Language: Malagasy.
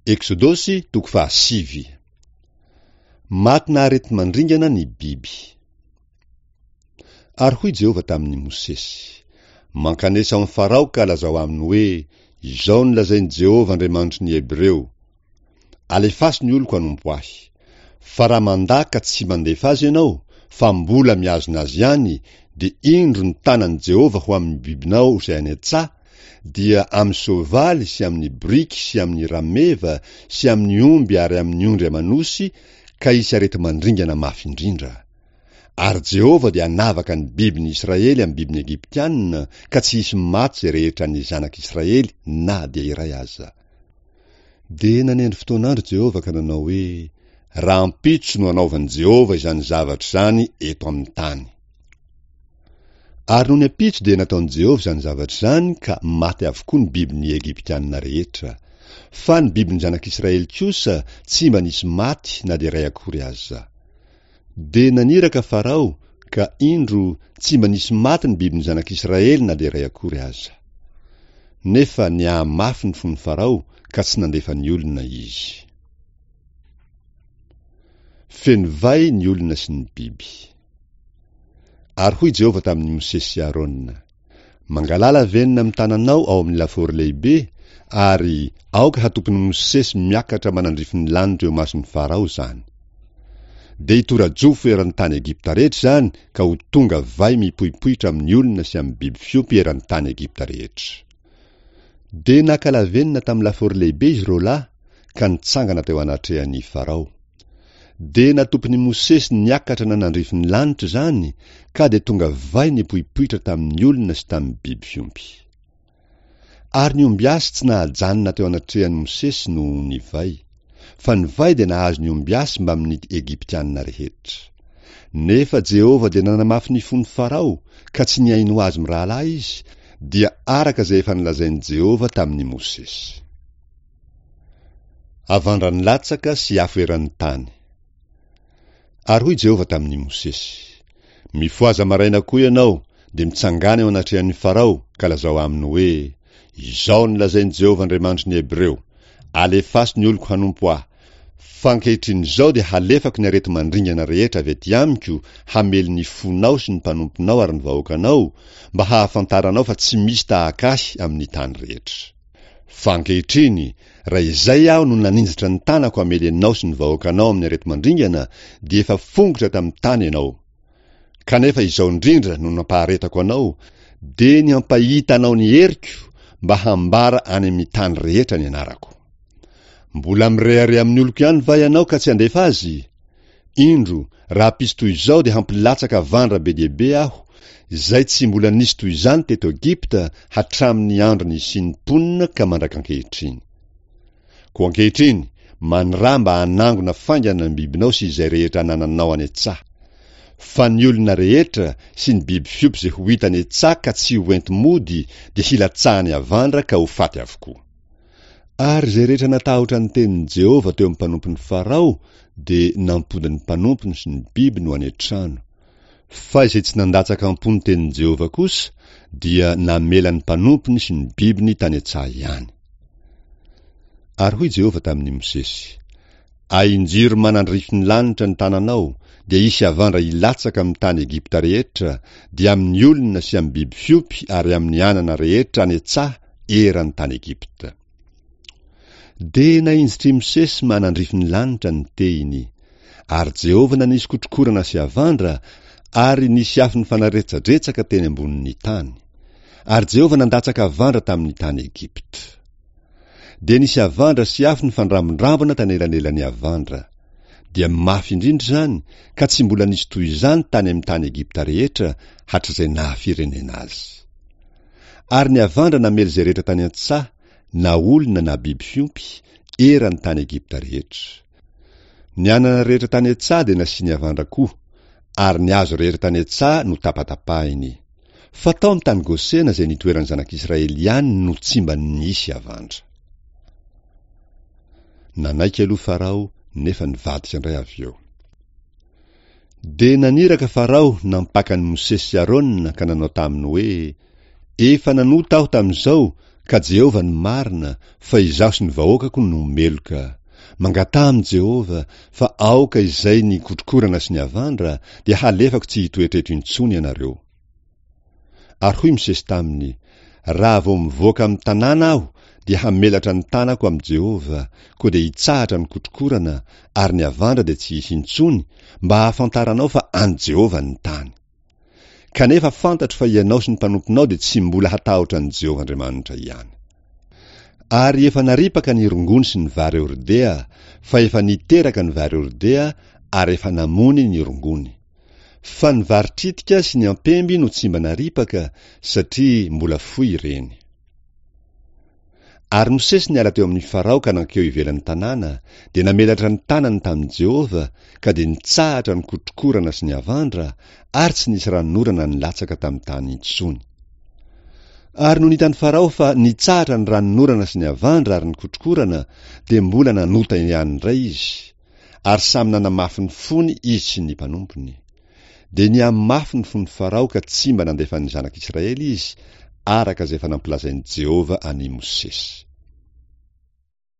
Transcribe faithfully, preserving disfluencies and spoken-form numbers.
Eksodosy toko fahasivy. Matina areti-mandringana ny biby. Ary hoy Jehovah tamin'i Mosesy: Mankanesa ao amin'i Farao ka lazao aminy hoe, Izao no lazain'i Jehovah Andriamanitry ny Hebreo: Alefaso ny oloko hanompo ahy. Fa raha mandà ka tsy mandefa azy ianao, fa mbola mihazona azy ihany, dia indro ny tanan'i Jehovah ho amin'ny bibinao izay any an-tsaha, dia amin'ny soavaly sy amin'ny boriky sy amin'ny rameva sy amin'ny omby ary amin'ny ondry aman'osy, ka hisy areti-mandringana mafy indrindra. Ary Jehovah dia hanavaka ny bibin'ny Israely amin'ny bibin'ny Egyptiana, ka tsy hisy maty izay rehetra an'ny zanak'Israely na dia iray aza. Dia nanendry fotoan'andro Jehovah ka nanao hoe, Rahampitso no hanaovan'i Jehovah izany zavatra izany eto amin'ny tany. Ary nony ampitso dia nataon'i Jehovah izany zavatra izany ka maty avokoa ny bibin'ny Egyptiana rehetra. Fa ny bibin'ny zanak'Israely kosa tsy mba nisy maty na dia iray akory aza. Dia naniraka Farao, ka indro, tsy mba nisy maty ny bibin'ny zanak'Israely na dia iray akory aza. Nefa nihamafy ny fon'i Farao ka tsy nandefa ny olona izy. Feno vay ny olona sy ny biby. Ary hoy Jehovah tamin'i Mosesy sy Arona: Mangalà lavenona amin'ny tananao ao amin'ny lafaoro lehibe, ary aoka hatopin'i Mosesy miakatra manandrify ny lanitra eo imason'i Farao izany. Dia hitora-jofo eran'ny tany Egypta rehetra izany ka ho tonga vay mipoipoitra amin'ny olona sy amin'ny biby fiompy eran'ny tany Egypta rehetra. Dia naka lavenona tamin'ny lafaoro lehibe izy roa lahy ka nitsangana teo anatrehan'i Farao. Dia natopin'i Mosesy niakatra nanandrify ny lanitra izany, ka dia tonga vay nipoipoitra tamin'ny olona sy tamin'ny biby fiompy. Ary ny ombiasy tsy nahajanona teo anatrehan'i Mosesy noho ny vay, fa ny vay dia nahazo ny ombiasy mbamin'ny Egyptiana rehetra. Nefa Jehovah dia nanamafy ny fon'i Farao, ka tsy nihaino azy mirahalahy izy, dia araka izay efa nolazain'i Jehovah tamin'i Mosesy. Avandra nilatsaka sy afo eran'ny tany. Ary hoy Jehovah tamin'i Mosesy: Mifohaza maraina koa ianao, dia mitsangàna eo anatrehan'i Farao, ka lazao aminy hoe, Izao no lazain'i Jehovah Andriamanitry ny Hebreo: Alefaso ny oloko hanompo ahy, fa ankehitriny izao dia halefako ny areti-mandringana rehetra avy aty amiko hamely ny fonao sy ny mpanomponao ary ny vahoakanao, mba hahafantaranao fa tsy misy tahaka ahy amin'ny tany rehetra. Fa ankehitriny, raha izay aho no naninjitra ny tanako hamely anao sy ny vahoakanao amin'ny areti-mandringana, dia efa fongotra tamin'ny tany ianao. Kanefa izao indrindra no nampaharetako anao, dia ny hampahita anao ny heriko, mba hambara any amin'ny tany rehetra ny anarako. Mbola mirehareha amin'ny oloko ihany va ianao ka tsy handefa azy? Indro, rahampitso toy izao dia hampilatsaka havandra be dia be aho, izay tsy mbola nisy toy izany teto Egypta hatramin'ny andro nisian'ny mponina ka mandrak'ankehitriny. Koa ankehitriny, maniraha mba hanangona faingana ny bibinao sy izay rehetra anananao any an-tsaha. Fa ny olona rehetra sy ny biby fiompy izay ho hita any an-tsaha ka tsy ho enti-mody dia hilatsahan'ny havandra ka ho faty avokoa. Ary izay rehetra natahotra ny tenin'i Jehovah teo amin'ny mpanompon'i Farao dia nampody ny mpanompony sy ny bibiny ho any an-trano. Fa izay tsy nandatsaka am-po ny tenin'i Jehovah kosa dia namela ny mpanompony sy ny bibiny tany an-tsaha ihany. Ary hoy Jehovah tamin'i Mosesy: Ahinjiro manandrify ny lanitra ny tananao, dia hisy havandra hilatsaka amin'ny tany Egypta rehetra, dia amin'ny olona sy amin'ny biby fiompy ary amin'ny anana rehetra any an-tsaha eran'ny tany Egypta. Dia nahinjitr'i Mosesy manandrify ny lanitra ny tehiny. Ary Jehovah nanisy kotrokorana sy havandra, ary nisy afo nifanaretsadretsaka teny ambonin'ny tany. Ary Jehovah nandatsaka havandra tamin'ny tany Egypta. Dia nisy havandra sy afo nifandrambondrambona tanelanelan'ny havandra. Dia mafy indrindra izany, ka tsy mbola nisy toy izany tany amin'ny tany Egypta rehetra hatrizay naha-firenena azy. Ary ny havandra namely izay rehetra tany an-tsaha, na olona na biby fiompy, eran'ny tany Egypta rehetra. Ny anana rehetra tany an-tsaha dia nasiany havandra koa, ary ny hazo rehetra tany an-tsaha notapatapahiny. Fa tao amin'ny tany Gosena izay nitoeran'ny zanak'Israely ihany no tsy mba nisy havandra. Nanaiky aloha Farao, nefa nivadika indray avy eo. Dia naniraka Farao nampaka an'i Mosesy sy Arona ka nanao taminy hoe, Efa nanota aho tamin'izao Ka Jehovah no marina, fa izaho sy ny vahoakako no meloka. Mangataha amin'i Jehovah, fa aoka izay ny kotrokorana sy ny havandra, dia halefako tsy hitoetra eto intsony ianareo. Ary hoy Mosesy taminy, Raha vao mivoaka amin'ny tanàna aho, dia hamelatra ny tanako amin'i Jehovah, koa dia hitsahatra ny kotrokorana, ary ny havandra dia tsy hisy intsony, mba hahafantaranao fa an'i Jehovah ny tany. Kanefa fantatro fa ianao sy ny mpanomponao dia tsy mbola hatahotra an'i Jehovah Andriamanitra ihany. Ary efa naripaka ny rongony sy ny vary hordea, fa efa niteraka ny vary hordea ary efa namony ny rongony. Fa ny vary tritika sy ny ampemby no tsy mba naripaka, satria mbola foy ireny. Ary Mosesy niala teo amin'i Farao ka nankeo ivelan'ny tanàna, dia namelatra ny tanany tamin'i Jehovah, ka dia nitsahatra ny kotrokorana sy ny havandra, ary tsy nisy ranonorana nilatsaka tamin'ny tany intsony. Ary nony hitan'i Farao fa nitsahatra ny ranonorana sy ny havandra ary ny kotrokorana, dia mbola nanota ihany indray izy, ary samy nanamafy ny fony izy sy ny mpanompony. Dia nihamafy ny fon'i Farao ka tsy mba nandefa ny zanak'Israely izy, araka izay efa nampilazain'i Jehovah an'i Mosesy.